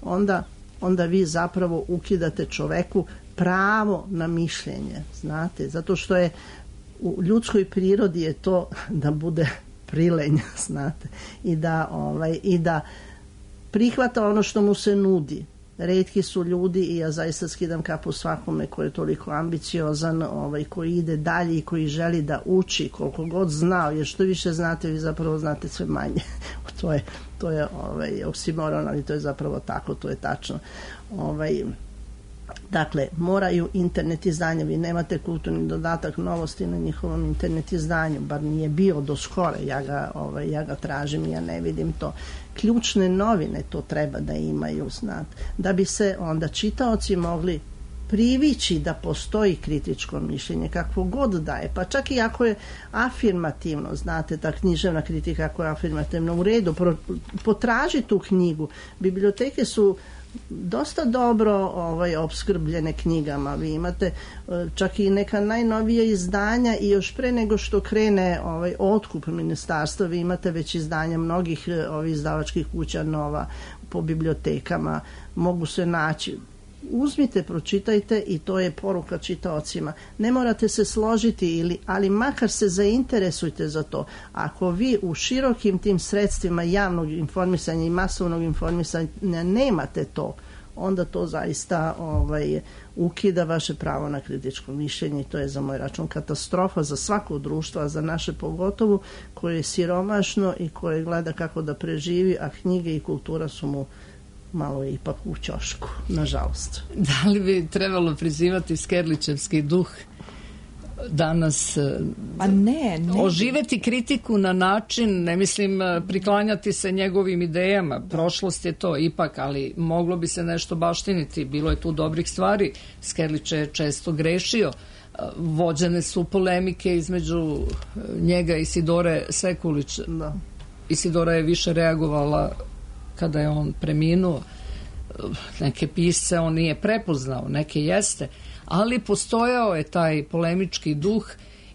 onda, onda vi zapravo ukidate čoveku pravo na mišljenje, znate, zato što je u ljudskoj prirodi je to da bude prilenj, znate, i da, ovaj, i da prihvata ono što mu se nudi. retki su ljudi i ja zaista skidam kapu svakome koji je toliko ambiciozan, ovaj, koji ide dalje i koji želi da uči koliko god znao, jer što više znate, vi zapravo znate sve manje. to je, to je ovaj, oksimoron, ali to je zapravo tako, to je tačno. Ovaj, Dakle, moraju internet izdanja, vi nemate kulturni dodatak novosti na njihovom internet izdanju, bar nije bio do skore, ja ga, ovaj, ja ga tražim i ja ne vidim to. Ključne novine to treba da imaju, znate, da bi se onda čitaoci mogli privići da postoji kritičko mišljenje, kakvo god daje, pa čak i ako je afirmativno, znate, ta književna kritika ako je afirmativno, u redu, pro, potraži tu knjigu. Biblioteke su dosta dobro ovaj, opskrbljene knjigama. Vi imate čak i neka najnovija izdanja i još pre nego što krene ovaj, otkup ministarstva, vi imate već izdanja mnogih ovih izdavačkih kuća nova po bibliotekama, mogu se naći. Uzmite, pročitajte i to je poruka čitaocima. Ne morate se složiti, ili, ali makar se zainteresujte za to. Ako vi u širokim tim sredstvima javnog informisanja i masovnog informisanja nemate to, onda to zaista ovaj, ukida vaše pravo na kritičko mišljenje i to je za moj račun katastrofa za svako društvo, a za naše pogotovo, koje je siromašno i koje gleda kako da preživi, a knjige i kultura su mu malo je ipak u ćošku, nažalost. Da li bi trebalo prizivati Skerlićevski duh danas, pa ne, ne. oživeti kritiku na način, ne mislim priklanjati se njegovim idejama, prošlost je to ipak, ali moglo bi se nešto baštiniti, bilo je tu dobrih stvari, Skerlić je često grešio, vođene su polemike između njega i Isidore Sekulić. Da. Isidora je više reagovala kada je on preminuo, neke pisce on nije prepoznao, neke jeste, ali postojao je taj polemički duh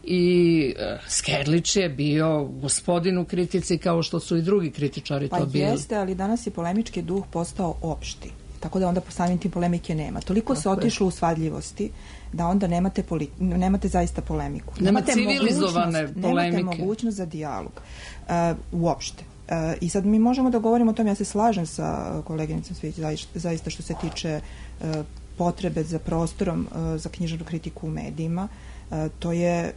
i Skerlić je bio gospodin u kritici kao što su i drugi kritičari pa to bili. Pa jeste, ali danas je polemički duh postao opšti, tako da onda po samim tim polemike nema. Toliko se otišlo u svadljivosti da onda nemate, poli, nemate zaista polemiku. Nema nemate civilizovane mogućnost, polemike. Nemate mogućnost za dijalog uh, uopšte. Uh, I sad mi možemo da govorimo o tome, ja se slažem sa koleginicom Svić zaista što se tiče uh, potrebe za prostorom uh, za književnu kritiku u medijima. Uh, to je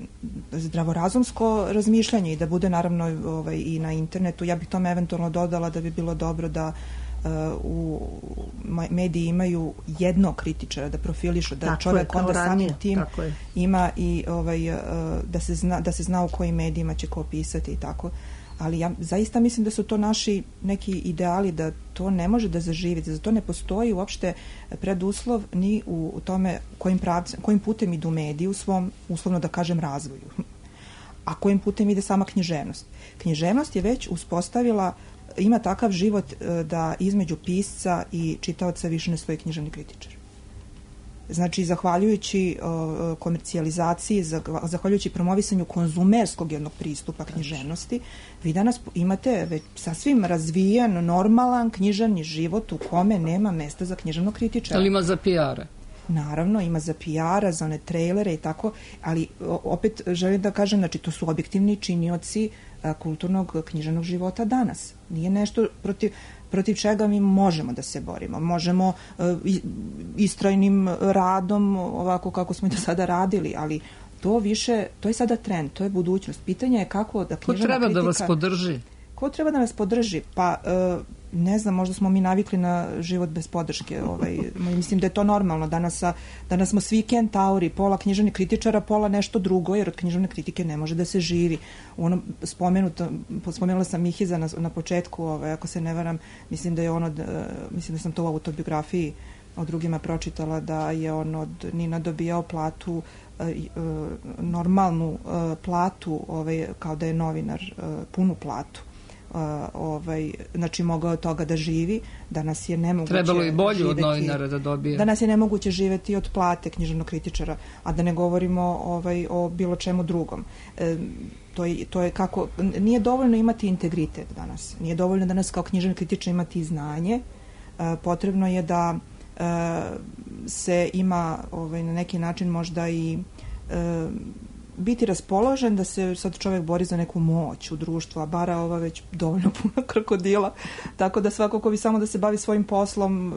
zdravorazumsko razmišljanje i da bude naravno ovaj, i na internetu. Ja bih tome eventualno dodala da bi bilo dobro da uh, u mediji imaju jednog kritičara, da profilišu, da tako čovjek je, onda samim tim je. ima i ovaj, uh, da, se zna, da se zna u kojim medijima će ko pisati i tako. Ali ja zaista mislim da su to naši neki ideali, da to ne može da zaživi, da za to ne postoji uopšte preduslov ni u, u tome kojim, pravcem, kojim putem idu mediji u svom, uslovno da kažem, razvoju. A kojim putem ide sama književnost. Književnost je već uspostavila, ima takav život da između pisca i čitaoca više ne stoji književni kritičar. Znači, zahvaljujući uh, komercijalizaciji, zahvaljujući promovisanju konzumerskog jednog pristupa književnosti, vi danas imate već sasvim razvijen, normalan književni život u kome nema mesta za književnog kritičara. Ali ima za P R-a? Naravno, ima za P R-a, za one trailere i tako, ali opet želim da kažem, znači, to su objektivni činioci uh, kulturnog književnog života danas. Nije nešto protiv... protiv čega mi možemo da se borimo. Možemo uh, istrajnim radom, ovako kako smo i do sada radili, ali to više, to je sada trend, to je budućnost. Pitanje je kako da književna kritika... Ko treba da vas podrži? Ko treba da nas podrži? Pa, uh, ne znam, možda smo mi navikli na život bez podrške. Ovaj, mislim da je to normalno. Danas, danas smo svi kentauri, pola književnih kritičara, pola nešto drugo, jer od književne kritike ne može da se živi. Ono spomenuto, spomenula sam Mihiza na, na početku, ovaj, ako se ne varam, mislim da je ono, mislim da sam to u autobiografiji od drugima pročitala, da je on od Nina dobijao platu, normalnu platu, ovaj, kao da je novinar, punu platu. Uh, ovaj, znači mogao od toga da živi, danas je nemoguće trebalo i bolju živeti, od novinara da dobije. Danas je nemoguće živeti od plate književnog kritičara, a da ne govorimo ovaj, o bilo čemu drugom. E, to, je, to je kako, nije dovoljno imati integritet danas, nije dovoljno danas kao književni kritičar imati znanje, e, potrebno je da e, se ima ovaj, na neki način možda i e, biti raspoložen da se sad čovjek bori za neku moć u društvu, a bara ova već dovoljno puno krokodila, tako da svako ko bi samo da se bavi svojim poslom,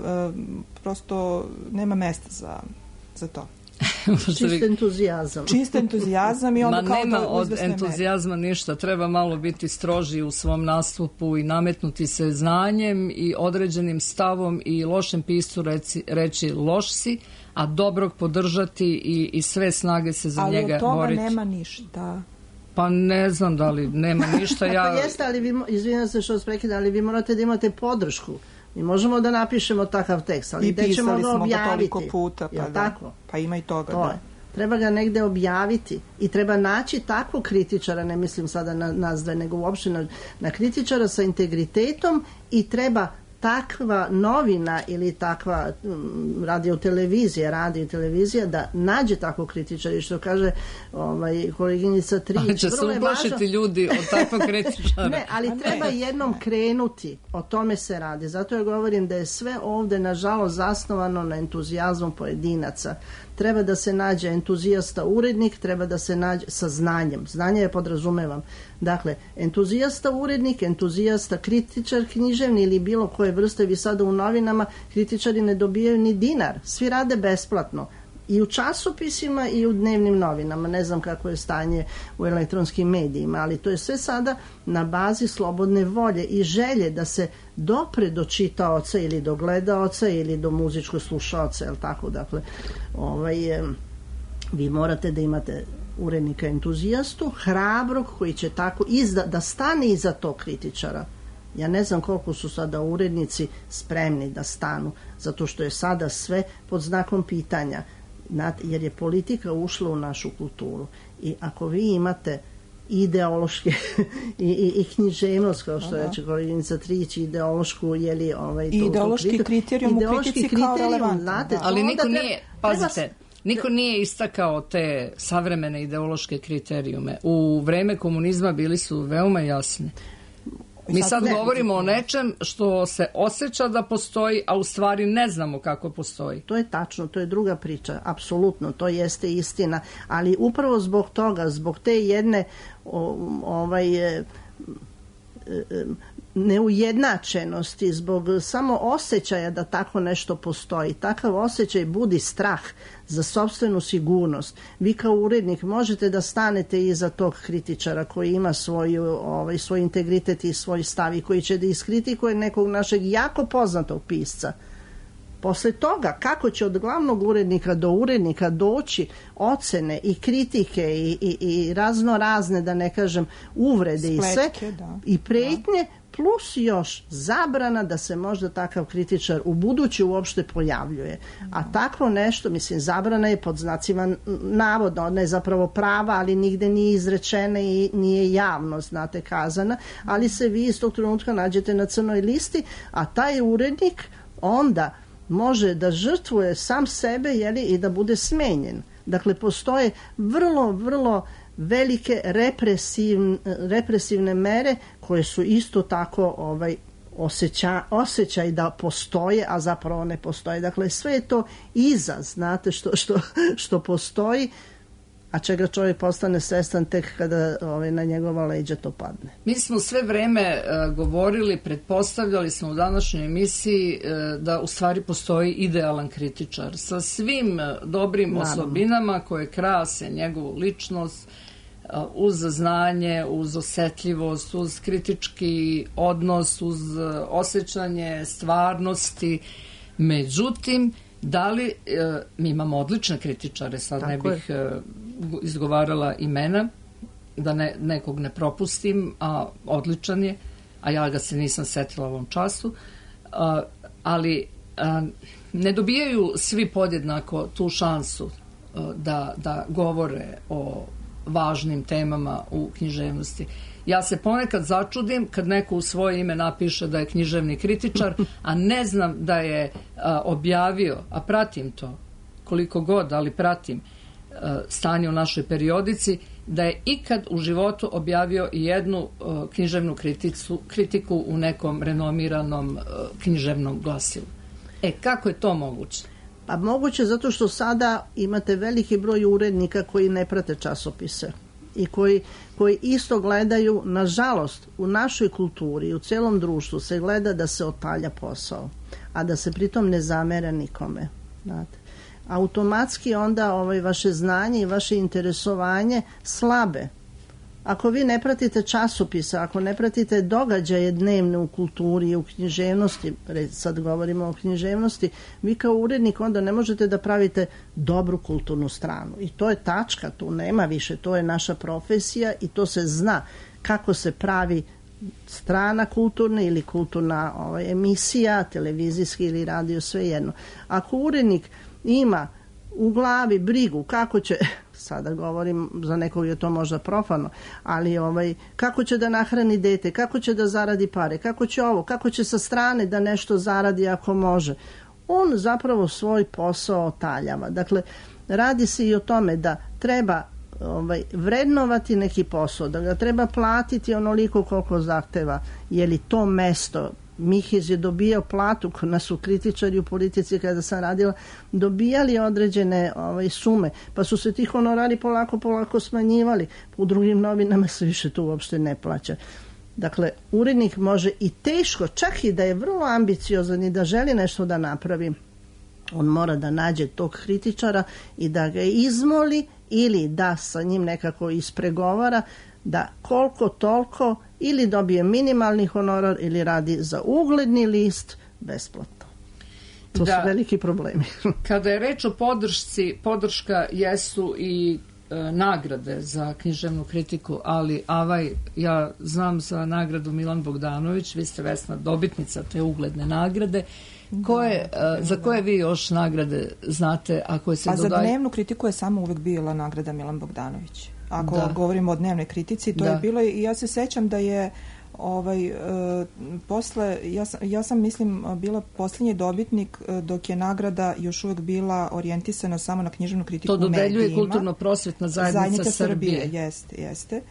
prosto nema mesta za, za to. Čist entuzijazam. Čist entuzijazam i onda Ma kao nema to od entuzijazma meri. Ništa, treba malo biti stroži u svom nastupu i nametnuti se znanjem i određenim stavom i lošem piscu reći, reći loš si, a dobrog podržati i, i sve snage se za ali njega boriti. Ali od toga boriti. nema ništa. Pa ne znam da li nema ništa. Ja... Pa jeste, ali vi, izvinjam se što vas prekidam, ali vi morate da imate podršku. Mi možemo da napišemo takav tekst, ali gde ćemo ga objaviti? Ga puta, pa, da. Tako? Pa ima i toga. To da. je. Treba ga negde objaviti i treba naći takvog kritičara, ne mislim sada na nas dve, nego uopšte na, na kritičara sa integritetom i treba takva novina ili takva um, radio televizija, radio televizija da nađe takvog kritičara i što kaže ovaj, koleginica Trić. Ali će se uplašiti ljudi od takvog kritičara. Ne, ali treba jednom krenuti, o tome se radi. Zato ja govorim da je sve ovde nažalost zasnovano na entuzijazmu pojedinaca. Treba da se nađe entuzijasta urednik, treba da se nađe sa znanjem. Znanje je podrazumevam. Dakle, entuzijasta urednik, entuzijasta kritičar književni ili bilo koje vrste, vi sada u novinama kritičari ne dobijaju ni dinar. Svi rade besplatno. I u časopisima i u dnevnim novinama. Ne znam kako je stanje u elektronskim medijima, ali to je sve sada na bazi slobodne volje i želje da se dopre do čitaoca ili do gledaoca ili do muzičkog slušaoca, jel tako? Dakle, ovaj, vi morate da imate urednika entuzijastu, hrabrog koji će tako izda, da stane iza tog kritičara. Ja ne znam koliko su sada urednici spremni da stanu, zato što je sada sve pod znakom pitanja. Jer je politika ušla u našu kulturu i ako vi imate ideološke i, i, i književnost, kao što reče koleginica Trić, ideološku, jeli ovaj, to, ideološki to kriterijum u kritici kao relevantan. Ali niko treba, nije, pazite, niko nije istakao te savremene ideološke kriterijume. U vreme komunizma bili su veoma jasni. Mi sad ne, govorimo o nečem što se osjeća da postoji, a u stvari ne znamo kako postoji. To je tačno, to je druga priča, apsolutno, to jeste istina, ali upravo zbog toga, zbog te jedne o, ovaj, e, e, neujednačenosti, zbog samo osjećaja da tako nešto postoji. Takav osjećaj budi strah za sopstvenu sigurnost. Vi kao urednik možete da stanete iza tog kritičara koji ima svoju, ovaj, svoj integritet i svoj stav i koji će da iskritikuje nekog našeg jako poznatog pisca. Posle toga, kako će od glavnog urednika do urednika doći ocene i kritike i, i, i razno razne, da ne kažem, uvrede Spletke, i sve, da. I pretnje, da. Plus još zabrana da se možda takav kritičar u budući uopšte pojavljuje. A tako nešto, mislim, zabrana je pod znacima navodno, ona je zapravo prava, ali nigde nije izrečena i nije javno, znate, kazana, ali se vi iz tog trenutka nađete na crnoj listi, a taj urednik onda može da žrtvuje sam sebe, jeli, i da bude smenjen. Dakle, postoje vrlo, vrlo velike represivne, represivne mere koje su isto tako ovaj, osjeća, osjećaj da postoje, a zapravo ne postoje. Dakle, sve je to iza, znate, što, što, što postoji, a čega čovjek postane svestan tek kada ovaj, na njegova leđa to padne. Mi smo sve vreme uh, govorili, pretpostavljali smo u današnjoj emisiji uh, da u stvari postoji idealan kritičar sa svim uh, dobrim Naravno. osobinama koje krase njegovu ličnost, uh, uz znanje, uz osetljivost, uz kritički odnos, uz uh, osjećanje stvarnosti. Međutim, da li, uh, mi imamo odlične kritičare, sad Tako ne bih uh, izgovarala imena, da ne, nekog ne propustim, a odličan je, a ja ga se nisam setila u ovom času, a, ali a, ne dobijaju svi podjednako tu šansu a, da, da govore o važnim temama u književnosti. Ja se ponekad začudim kad neko u svoje ime napiše da je književni kritičar, a ne znam da je a, objavio, a pratim to koliko god, ali pratim stanje u našoj periodici, da je ikad u životu objavio i jednu uh, književnu kriticu, kritiku u nekom renomiranom uh, književnom glasilu. E, kako je to moguće? Pa moguće zato što sada imate veliki broj urednika koji ne prate časopise i koji, koji isto gledaju, nažalost, u našoj kulturi i u celom društvu se gleda da se otalja posao, a da se pritom ne zamera nikome. Znate. Automatski onda ovaj, vaše znanje i vaše interesovanje slabe. Ako vi ne pratite časopise, ako ne pratite događaje dnevne u kulturi i u književnosti, sad govorimo o književnosti, vi kao urednik onda ne možete da pravite dobru kulturnu stranu. I to je tačka, tu nema više, to je naša profesija i to se zna kako se pravi strana kulturna ili kulturna ovaj, emisija, televizijski ili radio, svejedno. Ako urednik ima u glavi brigu kako će, sada govorim, za nekog je to možda profano, ali ovaj, kako će da nahrani dete, kako će da zaradi pare, kako će ovo, kako će sa strane da nešto zaradi ako može, on zapravo svoj posao otaljava. Dakle, radi se i o tome da treba ovaj, vrednovati neki posao, da ga treba platiti onoliko koliko zahteva, je li to mesto. Mihiz je dobijao platu, kod nas su kritičari u politici kada sam radila, dobijali određene ovaj, sume, pa su se ti honorari polako, polako smanjivali. U drugim novinama se više tu uopšte ne plaća. Dakle, urednik može i teško, čak i da je vrlo ambiciozan i da želi nešto da napravi, on mora da nađe tog kritičara i da ga izmoli ili da sa njim nekako ispregovara da koliko toliko ili dobije minimalni honorar ili radi za ugledni list besplatno. To da, su veliki problemi. Kada je reč o podršci, podrška jesu i e, nagrade za književnu kritiku, ali Avaj, ja znam za nagradu Milan Bogdanović, vi ste Vesna dobitnica te ugledne nagrade. Koje, da, za koje vi još nagrade znate? A, koje se a dodaj... za dnevnu kritiku je samo uvek bila nagrada Milan Bogdanović. Ako da. govorimo o dnevnoj kritici, to da. je bilo i ja se sećam da je ovaj, e, posle, ja sam, ja sam mislim bila posljednji dobitnik e, dok je nagrada još uvek bila orijentisana samo na književnu kritiku u medijima. To dodeljuje kulturno-prosvetna zajednica, zajednica Srbije. Srbije. Jeste, jeste.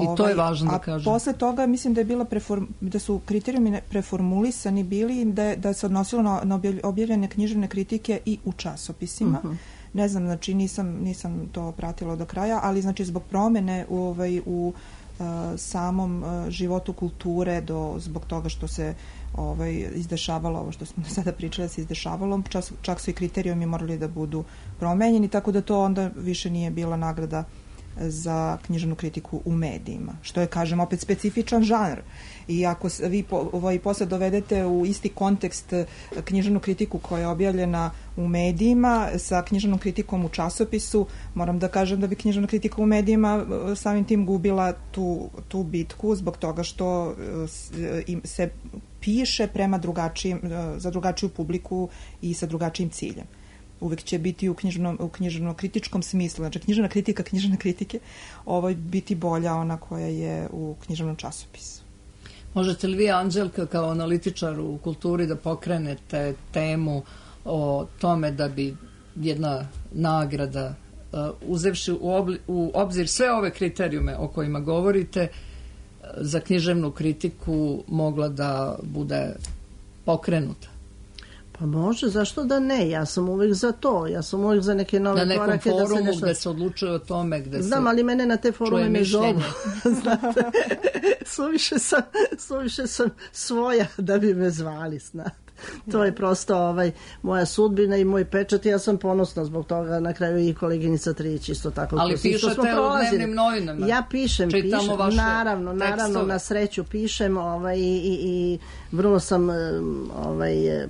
I to je važno da kažem. A posle toga mislim da je bila preform, da su kriterijumi preformulisani bili da, da se odnosilo na, na objavljene književne kritike i u časopisima. Uh-huh. Ne znam, znači nisam, nisam to pratila do kraja, ali znači zbog promene u, ovaj, u uh, samom uh, životu kulture, do, zbog toga što se ovaj, izdešavalo, ovo što smo sada pričali da se izdešavalo, čak, čak su i kriterijumi morali da budu promenjeni, tako da to onda više nije bila nagrada za književnu kritiku u medijima, što je, kažem, opet specifičan žanr. I ako vi po, ovaj, posle dovedete u isti kontekst književnu kritiku koja je objavljena u medijima sa književnom kritikom u časopisu, moram da kažem da bi književna kritika u medijima samim tim gubila tu, tu bitku zbog toga što se piše prema drugačijim, za drugačiju publiku i sa drugačijim ciljem. Uvek će biti u književnom, u književnom kritičkom smislu, znači književna kritika, književne kritike, ovaj biti bolja ona koja je u književnom časopisu. Možete li vi, Anđelka, kao analitičar u kulturi da pokrenete temu o tome da bi jedna nagrada, uh, uzevši u, obli, u obzir sve ove kriterijume o kojima govorite, za književnu kritiku mogla da bude pokrenuta? Pa može, zašto da ne? Ja sam uvijek za to. Ja sam uvijek za neke nove korake. Na nekom korake forumu da se nešto... gde se odlučuje o tome, gde Znam, se ali mene na te forume ne zovu. Znate, suviše sam, suviše sam svoja da bi me zvali, znate. To je prosto ovaj, moja sudbina i moj pečat i ja sam ponosna zbog toga, na kraju i koleginica Trić isto tako. Ali pišete u dnevnim novinama? Ja pišem, pišem, naravno, naravno, tekstove. Na sreću pišem ovaj, i, i, i vrlo sam ovaj,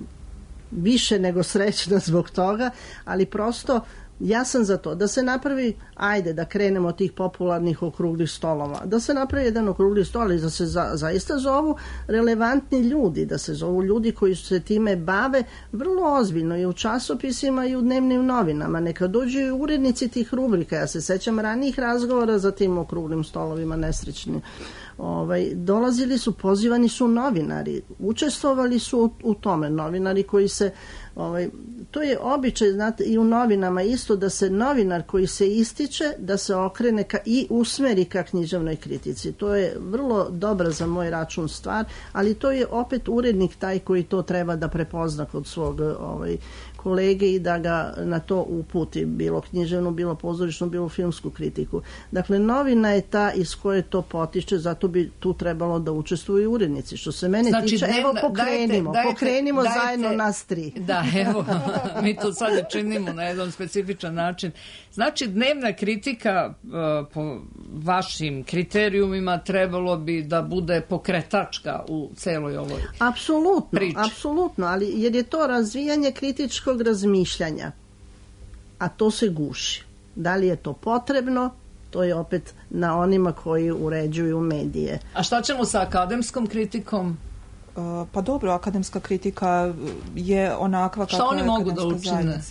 više nego srećna zbog toga, ali prosto ja sam za to da se napravi, ajde da krenemo od tih popularnih okruglih stolova, da se napravi jedan okrugli stol i da se za, zaista zovu relevantni ljudi, da se zovu ljudi koji se time bave vrlo ozbiljno i u časopisima i u dnevnim novinama. Neka dođu i urednici tih rubrika. Ja se sećam ranijih razgovora za tim okruglim stolovima nesrećni. Ovaj, dolazili su, pozivani su novinari, učestvovali su u, u tome, novinari koji se, ovaj, to je običaj, znate, i u novinama isto, da se novinar koji se ističe, da se okrene ka, i usmeri ka književnoj kritici. To je vrlo dobra za moj račun stvar, ali to je opet urednik taj koji to treba da prepozna kod svog, ovaj, kolege i da ga na to uputi, bilo književnu, bilo pozorišnu, bilo filmsku kritiku. Dakle, novina je ta iz koje to potiče, zato bi tu trebalo da učestvuju urednici. Što se mene znači, tiče, dnevna, evo pokrenimo, dajte, pokrenimo dajte, zajedno nas tri. Da, evo, mi to sad činimo na jedan specifičan način. Znači, dnevna kritika po vašim kriterijumima trebalo bi da bude pokretačka u celoj ovoj apsolutno, priči. Apsolutno, ali jer je to razvijanje kritičkog razmišljanja, a to se guši. Da li je to potrebno? To je opet na onima koji uređuju medije. A šta ćemo sa akademskom kritikom? Pa dobro, akademska kritika je onakva kakva je akademska zajednica. Šta oni mogu da učine?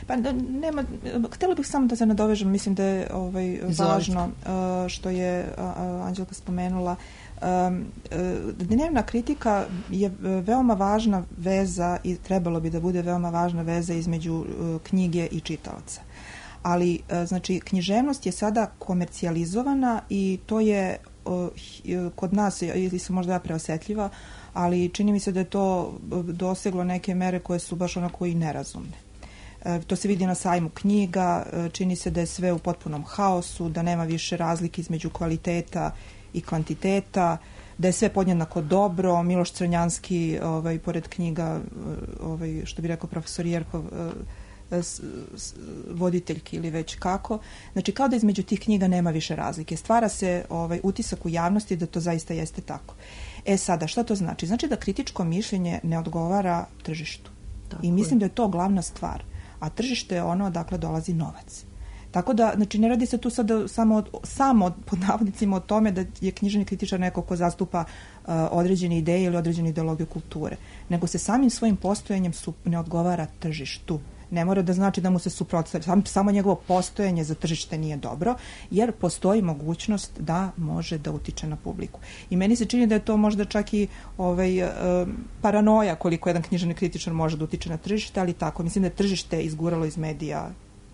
Pa nema, htjela bih samo da se nadovežem, mislim da je ovaj, važno što je Anđelka spomenula. Dnevna kritika je veoma važna veza i trebalo bi da bude veoma važna veza između knjige i čitalaca. Ali, znači, književnost je sada komercijalizovana i to je kod nas, ili sam možda ja preosetljiva, ali čini mi se da je to doseglo neke mere koje su baš onako i nerazumne. To se vidi na sajmu knjiga, čini se da je sve u potpunom haosu, da nema više razlike između kvaliteta i kvantiteta, da je sve podjednako dobro. Miloš Crnjanski, ovaj, pored knjiga, ovaj, što bi rekao profesor Jerkov, voditeljki ili već kako. Znači, kao da između tih knjiga nema više razlike. Stvara se ovaj, utisak u javnosti da to zaista jeste tako. E sada, šta to znači? Znači da kritičko mišljenje ne odgovara tržištu. Tako I mislim je. da je to glavna stvar. A tržište je ono odakle dolazi novac. Tako da, znači, ne radi se tu sada samo, samo pod navodnicima o tome da je književni kritičar neko ko zastupa uh, određene ideje ili određene ideologije kulture, nego se samim svojim postojanjem su, ne odgovara tržištu. Ne mora da znači da mu se suprotstavlja. Samo, samo njegovo postojanje za tržište nije dobro, jer postoji mogućnost da može da utiče na publiku. I meni se čini da je to možda čak i ovaj, uh, paranoja koliko jedan književni kritičar može da utiče na tržište, ali tako. Mislim da je tržište izguralo iz medija.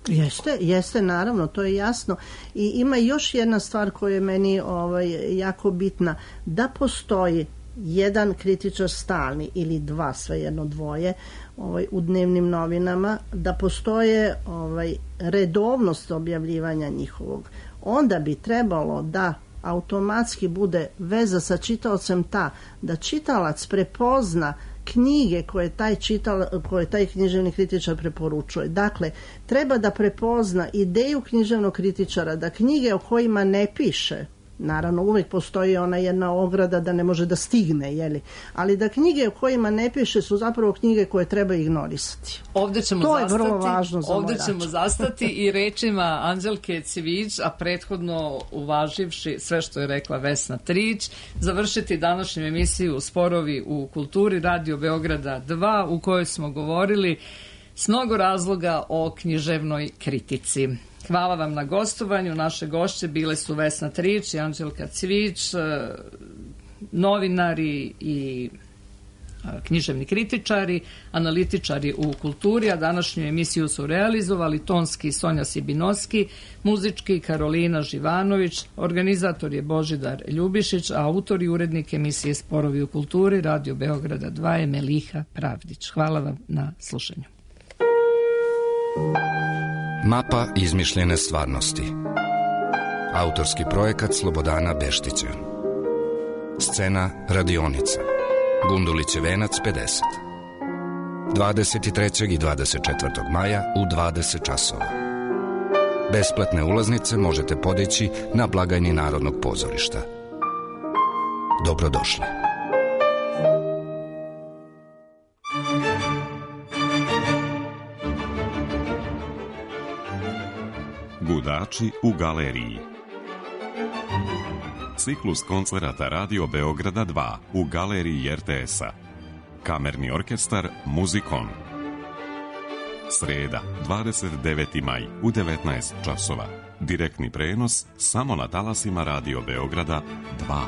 Jeste, jeste, naravno, to je jasno. I ima još jedna stvar koja je meni ovaj, jako bitna. Da postoji jedan kritičar stalni ili dva, svejedno dvoje, ovaj, u dnevnim novinama, da postoje ovaj, redovnost objavljivanja njihovog. Onda bi trebalo da automatski bude veza sa čitaocem ta, da čitalac prepozna knjige koje taj, čital, koje taj književni kritičar preporučuje. Dakle, treba da prepozna ideju književnog kritičara, da knjige o kojima ne piše, naravno uvijek postoji ona jedna ograda da ne može da stigne, jeli? Ali da knjige o kojima ne piše su zapravo knjige koje treba ignorisati. Ovdje ćemo to zastati, je vrlo važno za ovdje moj ćemo račun. zastati i rečima Anđelke Civić, a prethodno uvaživši sve što je rekla Vesna Trić, završiti današnju emisiju Sporovi u kulturi Radio Beograda dva, u kojoj smo govorili s mnogo razloga o književnoj kritici. Hvala vam na gostovanju. Naše gošće bile su Vesna Trić i Anđelka Cvić, novinari i književni kritičari, analitičari u kulturi, a današnju emisiju su realizovali tonski Sonja Sibinovski, muzički Karolina Živanović, organizator je Božidar Ljubišić, a autor i urednik emisije Sporovi u kulturi Radio Beograda dva je Meliha Pravdić. Hvala vam na slušanju. Mapa izmišljene stvarnosti. Autorski projekat Slobodana Beštića. Scena radionica. Gundulićev venac pedeset. dvadeset trećeg i dvadeset četvrtog maja u dvadeset časova. Besplatne ulaznice možete podići na blagajni Narodnog pozorišta. Dobrodošli. Gudači u galeriji. Ciklus koncerata Radio Beograda dva u galeriji er te es-a. Kamerni orkestar Muzikon. Sreda, dvadeset deveti maj u devetnaest časova. Direktni prenos samo na talasima Radio Beograda dva.